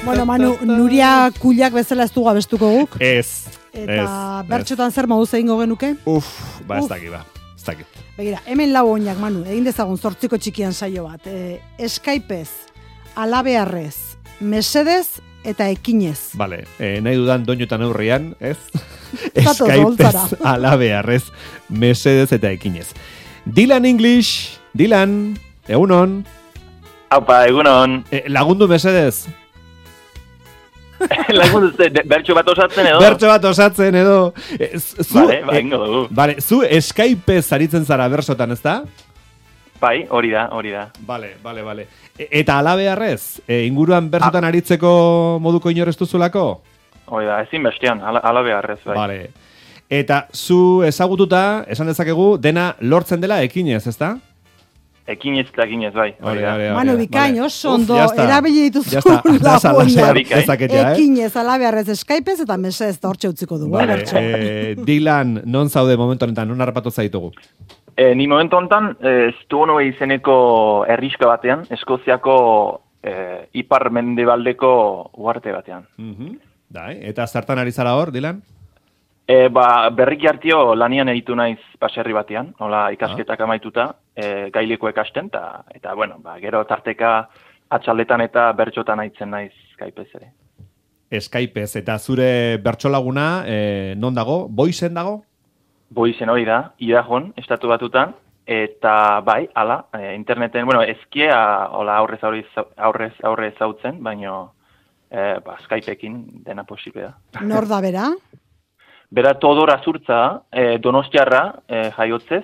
Bueno, Manu, Nuria Kullak bezala ez dugu abestuko guk. Ez. Eta bertxotan zer moduz egingo genuke? Ez dakit. Begira, hemen lau oinak, Manu, egin dezagun 8 txikian saio bat. Skypez, alabearrez, mesedez eta ekinez. Vale, nahi dudan doinotan aurrian, ez? Skypez, alabearrez, mesedez eta ekinez. Dylan English, Dylan, egunon. Aupa, egunon. Lagundu mesedez. Lagundu, bertxo bat osatzen edo? Bertxo bat osatzen edo. Vale, ingo dugu. Vale, zu Skypez aritzen zara bersotan, ez da? Bai, hori da. Vale. Eta alabearrez, inguruan bersotan aritzeko moduko inorez duzulako? Hori da, ezin bestean, alabearrez, bai. Vale. Eta zu ezagututa, esan dezakegu, dena lortzen dela ekinez, ez da? Ekinez, bai. Manu, bikain, oso ondo, erabili dituzu ekinez, alabearrez, Skypez eta mesedez da hortxe utziko dugu. Dylan, non zaude momentu honetan, non harrapatu zaitugu? Ni momentu honetan, Stoneway izeneko herriska batean, Eskoziako ipar mendebaldeko uarte batean. Eta zertan ari zara hor, Dylan? Berriki hartio lanian editu naiz baserri batean, hola ikasketak amaituta, gaileko ekasten, eta bueno, gero tarteka atxaldetan eta bertxotan aitzen naiz Skypez ere. Skypez, eta zure bertsolaguna non dago? Boizen dago? Boizen hori da, Idajon, estatu batutan, eta bai, interneten, bueno, ezkia hola aurrez zautzen, baino Skypeekin dena posible da. Nor da bera? Bera Todor Azurtza, Donostiarra jaiotzez,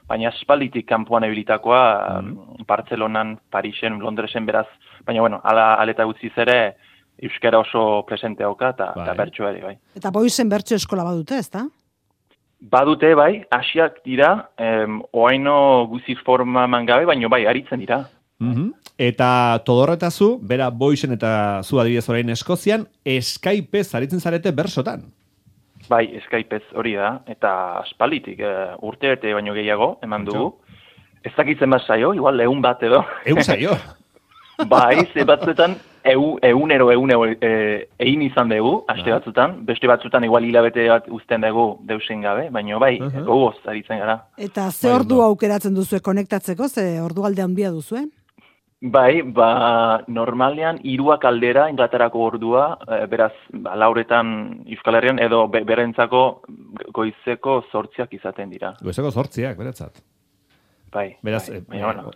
baina espalditik kanpoan ebilitakoa Bartzelonan, Parisen, Londresen beraz, baina bueno, aleta gutziz ere euskara oso presente hauka eta bertso ere, bai. Eta boizen bertso eskola badute, ez da? Badute, bai, hasiak dira, oaino guziz forma mangabe, baina bai, aritzen dira. Eta Todor eta zu, bera boizen eta zu adibidez orain Eskozian, Skypez aritzen zarete bersotan. Bai, Skypez hori da, eta aspalditik urte baino gehiago eman dugu. Ez dakitzen bat saio, igual 100 bat edo. 100 saio? Bai, ze batzuetan egunero egin izan dugu, aste batzutan, beste batzutan igual hilabete bat uzten dugu deusen gabe, baina bai, gogoz aritzen gara. Eta ze ordu aukeratzen duzue konektatzeko, ze ordu alde handia duzue? Bai, normalean 3 aldera Inglaterrako ordua, beraz, lauretan Euskal Herrian edo berentzako goizeko 8 izaten dira. Goizeko 8, beretzat. Bai. Beraz,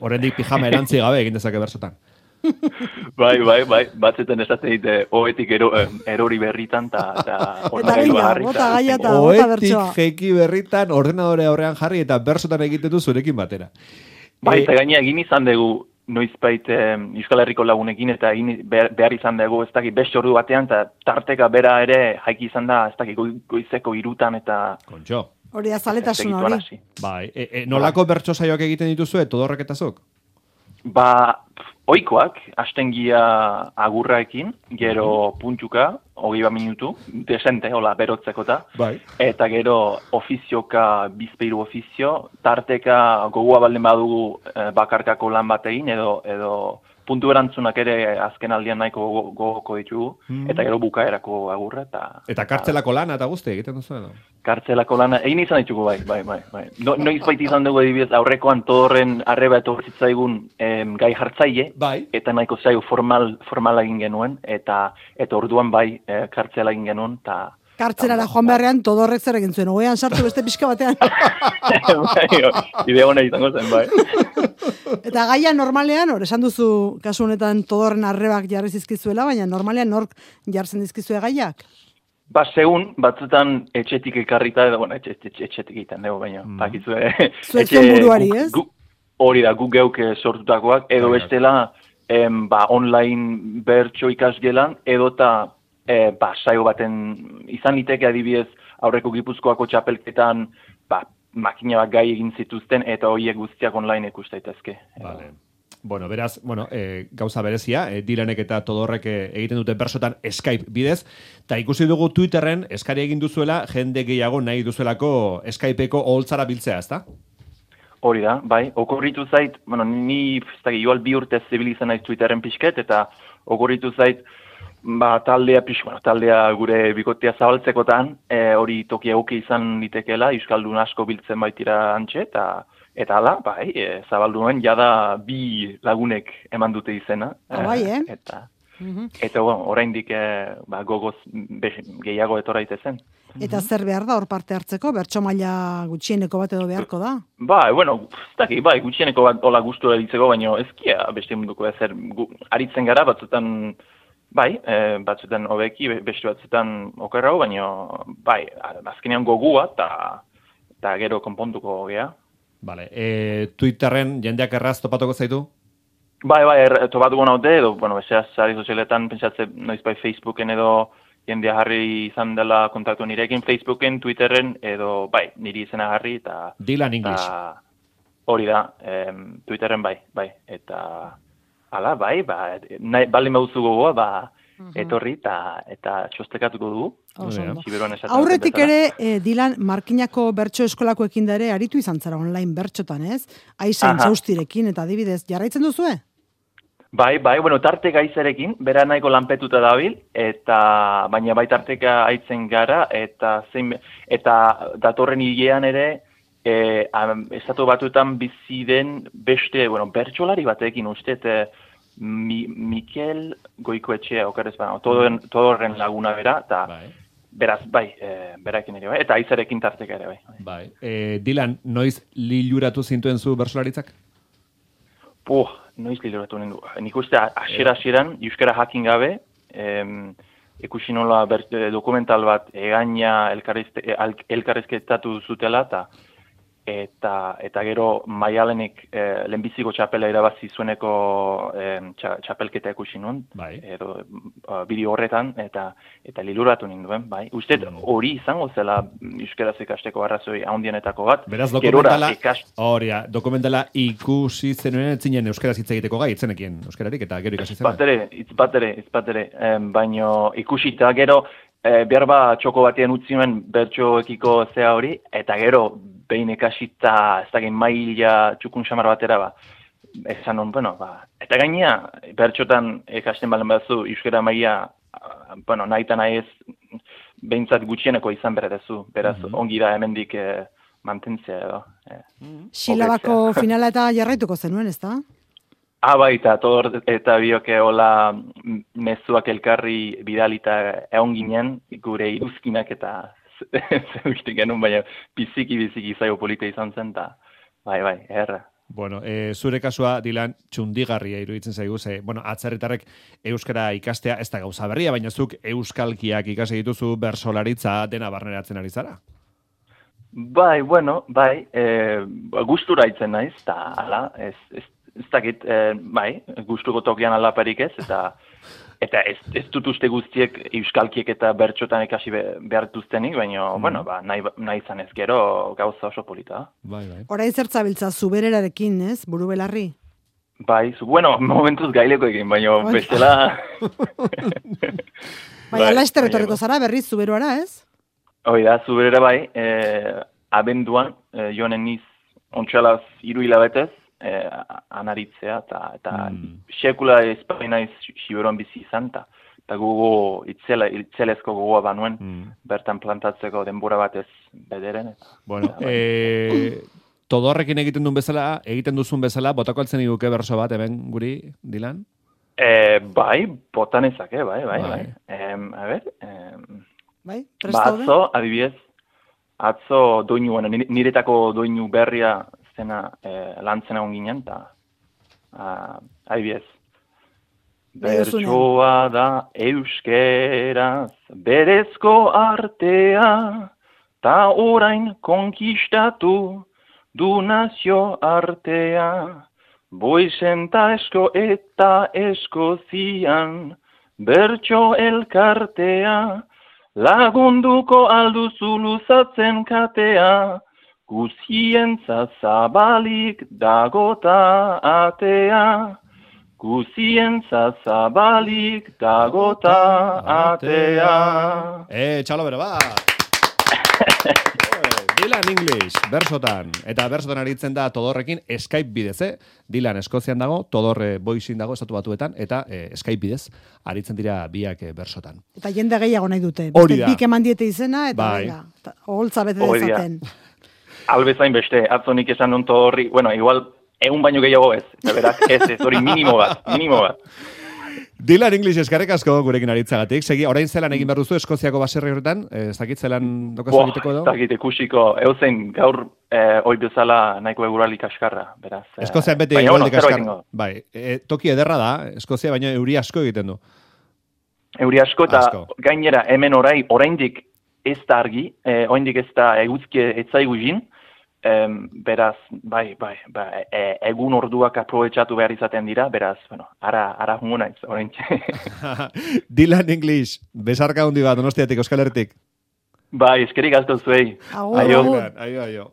horrendik pijama erantzi gabe egin dezake bersotan. Bai, batzeten esaten dite, oetik erori berritan, eta oetik jeki berritan, ordenadore aurrean jarri, eta bersotan egiten du zurekin batera. Bai, eta gaina egin izan dugu, noizbait Euskal Herriko lagunekin, eta behar izan dugu, ez dakit, beste ordu batean, eta tarteka bera ere jaiki izan da, ez dakit, goizeko 3 eta... Kontxo. Hori azaletasun hori. Bai, nolako bertso saioak egiten dituzue, Todorrek eta zuk? Oikoak, hastengia agurraekin, gero puntuka, 20 minutu, desente, hola, berotzekota. Bai. Eta gero ofizioka, bizpeiru ofizio, tarteka gogoa balden badugu bakarkako lan batein, edo puntu erantzunak ere azken aldian nahiko gogoko ditugu, eta gero bukaerako agurra. Eta kartzelako lana eta guzti egiten duzu edo? Kartzelako lana, egin izan ditugu, bai. Noiz baita izan dugu edibidez, aurrekoan Todorren arreba etortzitzaigun gai jartzaile, bai. Eta nahiko zaio formala egin genuen, eta orduan bai kartzela egin genuen, eta... Kartzelara joan beharrean Todorrek zer egin zuen, ogean sartu beste pixka batean. Idea hona izango zen, bai. Eta gaia normalean, esan duzu kasu honetan Todorren arrebak jarri zizkizuela, baina normalean nork jartzen dizkizue gaiak? Segun, batzutan etxetik ekarrita, edo, bueno, etxetik egiten dugu, baina, pakizue... Zuetzen buruari, ez? Hori da, guk geuk sortutakoak, edo bestela online bertso ikasgelan, edota saio baten izan liteke adibidez aurreko Gipuzkoako txapelketan makina bat gai egin zituzten eta horiek guztiak online ikus daitezke. Vale. Bueno, beraz, gauza berezia, Dylanek eta Todorrek egiten dute bersotan Skype bidez, eta ikusi dugu Twitterren eskari egin duzuela jende gehiago nahi duzuelako Skypeko oholtzara biltzea, ezta? Hori da, bai, okorritu zait, bueno, ni igual 2 urte zibilizan naiz Twitterren pixket, eta okorritu zait, taldea gure bikotea zabaltzekotan, hori toki egoki izan litekeela, euskaldun asko biltzen baitira antxe, eta hala, bai, zabalduen jada 2 lagunek eman dute izena. Bai, Eta oraindik gogoz gehiago etora itezen. Eta zer behar da hor parte hartzeko? Bertso maila gutxieneko bat edo beharko da? Gutxieneko bat hola gustura ditzeko, baina ezkia beste munduko ezer aritzen gara, batzutan batzutan hobeki, beste batzutan okerrago, baina azkenean gogua eta gero konpontuko gea. Vale, Twitterren jendeak erraz topatuko zaitu? Topatuko naute, edo, bezeaz, sari sozialetan, pentsatze, noiz Facebooken edo jendea jarri izan dela kontaktu nirekin, Facebooken, Twitterren, edo, niri izena jarri, eta... Dylan English. Hori da, Twitterren bai, eta... Hala, baldin baduzu gogoa, etorri eta txostekatuko dugu. Aurretik ere, Dylan, Markinako bertso eskolakoekin da ere, aritu izan zara online bertxotan, ez? Aizain txaustirekin, eta adibidez, jarraitzen duzue? Bai, tarte gaizarekin, bera nahiko lanpetuta dabil, baina bai tarteka aitzen gara, eta datorren hilean ere, estatu batuetan bizi den beste, bertsolari batekin uste, Mikel Goikoetxea, okerrez baina, todorren laguna bera, eta beraz, berakin ere, eta aizarekin tarteka ere, bai. Dylan, noiz liluratu zintuen zu bertsolaritzak? Noiz liluratu nindu. Nik uste, asieran, euskara jakin gabe, ikusi nola dokumental bat egaina elkarrezketatu zutela, eta gero Maialenek lehenbiziko txapela irabazi zueneko txapelketa ikusi nuen, edo bideo horretan, eta liluratu ninduen, bai. Uste hori izango zela euskaraz ikasteko arrazoi handienetako bat. Beraz, dokumentala ikusi zenuen etzinen euskaraz hitz egiteko gai, itzenekien euskararik, eta gero ikasi zenuen. Bat ere, baino ikusita gero, behar txoko batean utzi nuen bertsoekiko zea hori, eta gero behin ekasita ez dakit maila txukun xamar batera esan non, eta gainea bertxotan ekasten balen batzu euskara maila, nahi eta nahi ez behintzat gutxieneko izan beretezu, beraz ongi da hemendik mantentzea edo. Silabako finala eta jarraituko zenuen, ez da? Eta bioke hola mezuak elkarri bidalita egon ginen, gure iruzkinak eta zerukitik genuen, baina biziki zaio polita izan zen, eta bai, erra. Bueno, zure kasua, Dylan, txundigarria iruditzen zaigu, atzerritarrek euskara ikastea, ez da gauza berria, baina zuk euskalkiak ikasi dituzu bersolaritza dena barneratzen ari zara? Gustura itzen naiz, eta ala, ez dakit, gustuko tokian alaparik ez, eta ez dut uste guztiek euskalkiek eta bertxotan ikasi behar duztenik, baina, nahi izan ez gero gauza oso polita. Horain zertzabiltza, zubererarekin, ez, buru belarri? Momentuz gaileko egin, baina bestela... Ala esterretorreko zara, berriz zuberuara, ez? Hoi da, zuberera abenduan, joanen niz ontsalaz 3 hilabetez, anaritzea, eta sekula espainaiz siberuan bizi izan, eta gogo itzelezko gogoa banuen, bertan plantatzeko denbora batez bederen. Bueno, Todorrekin egiten duzun bezala, botako altzen iguke berso bat, hemen guri, Dylan? Botan ezake, bai. A ber, atzo, adibidez, atzo doinu, niretako doinu berria zena lantzen egon ginen, eta adibidez. Bertsoa da euskeraz berezko artea, ta orain konkistatu du nazio artea. Boizenta esko eta eskozian bertso elkartea, lagunduko alduzu luzatzen katea, guzientza zabalik dagota atea. Guzientza zabalik dagota atea. Txalo bero, ba! Dylan English, bersotan. Eta bersotan aritzen da Todorrekin Skype bidez, Dylan Eskozian dago, Todorre Boisin dago Estatu Batuetan, eta Skype bidez aritzen dira biak bersotan. Eta jende gehiago nahi dute. Hori da. Bik eman diete izena, eta bai. Oholtza bete dezaten. Albezain beste, atzonik esan non Todorri, bueno, igual, egun baino gehiago ez. Eta berak, ez, hori minimo bat. Dylan English eskarrik asko gurekin aritzagatik. Segi, orain zelan egin behar duzu Eskoziako baserri horretan? Ez dakit zelan dokazu egiteko edo? Ez dakit ikusiko, eusen gaur hoi bezala nahiko egurali kaskarra, beraz. Eskozian beti egurali kaskarra. Bai, toki ederra da, Eskozia baina euri asko egiten du. Euri asko eta gainera hemen oraindik ez da argi, oraindik ez da eguzki etzaigu jin, beraz, egun orduak aprobetxatu behar izaten dira, beraz, bueno, ara jungo naiz, oraintxe. Dylan English, besarka hundi bat, Donostiatik, Euskal Herritik. Bai, eskerik asko zuei. Aio. Aio.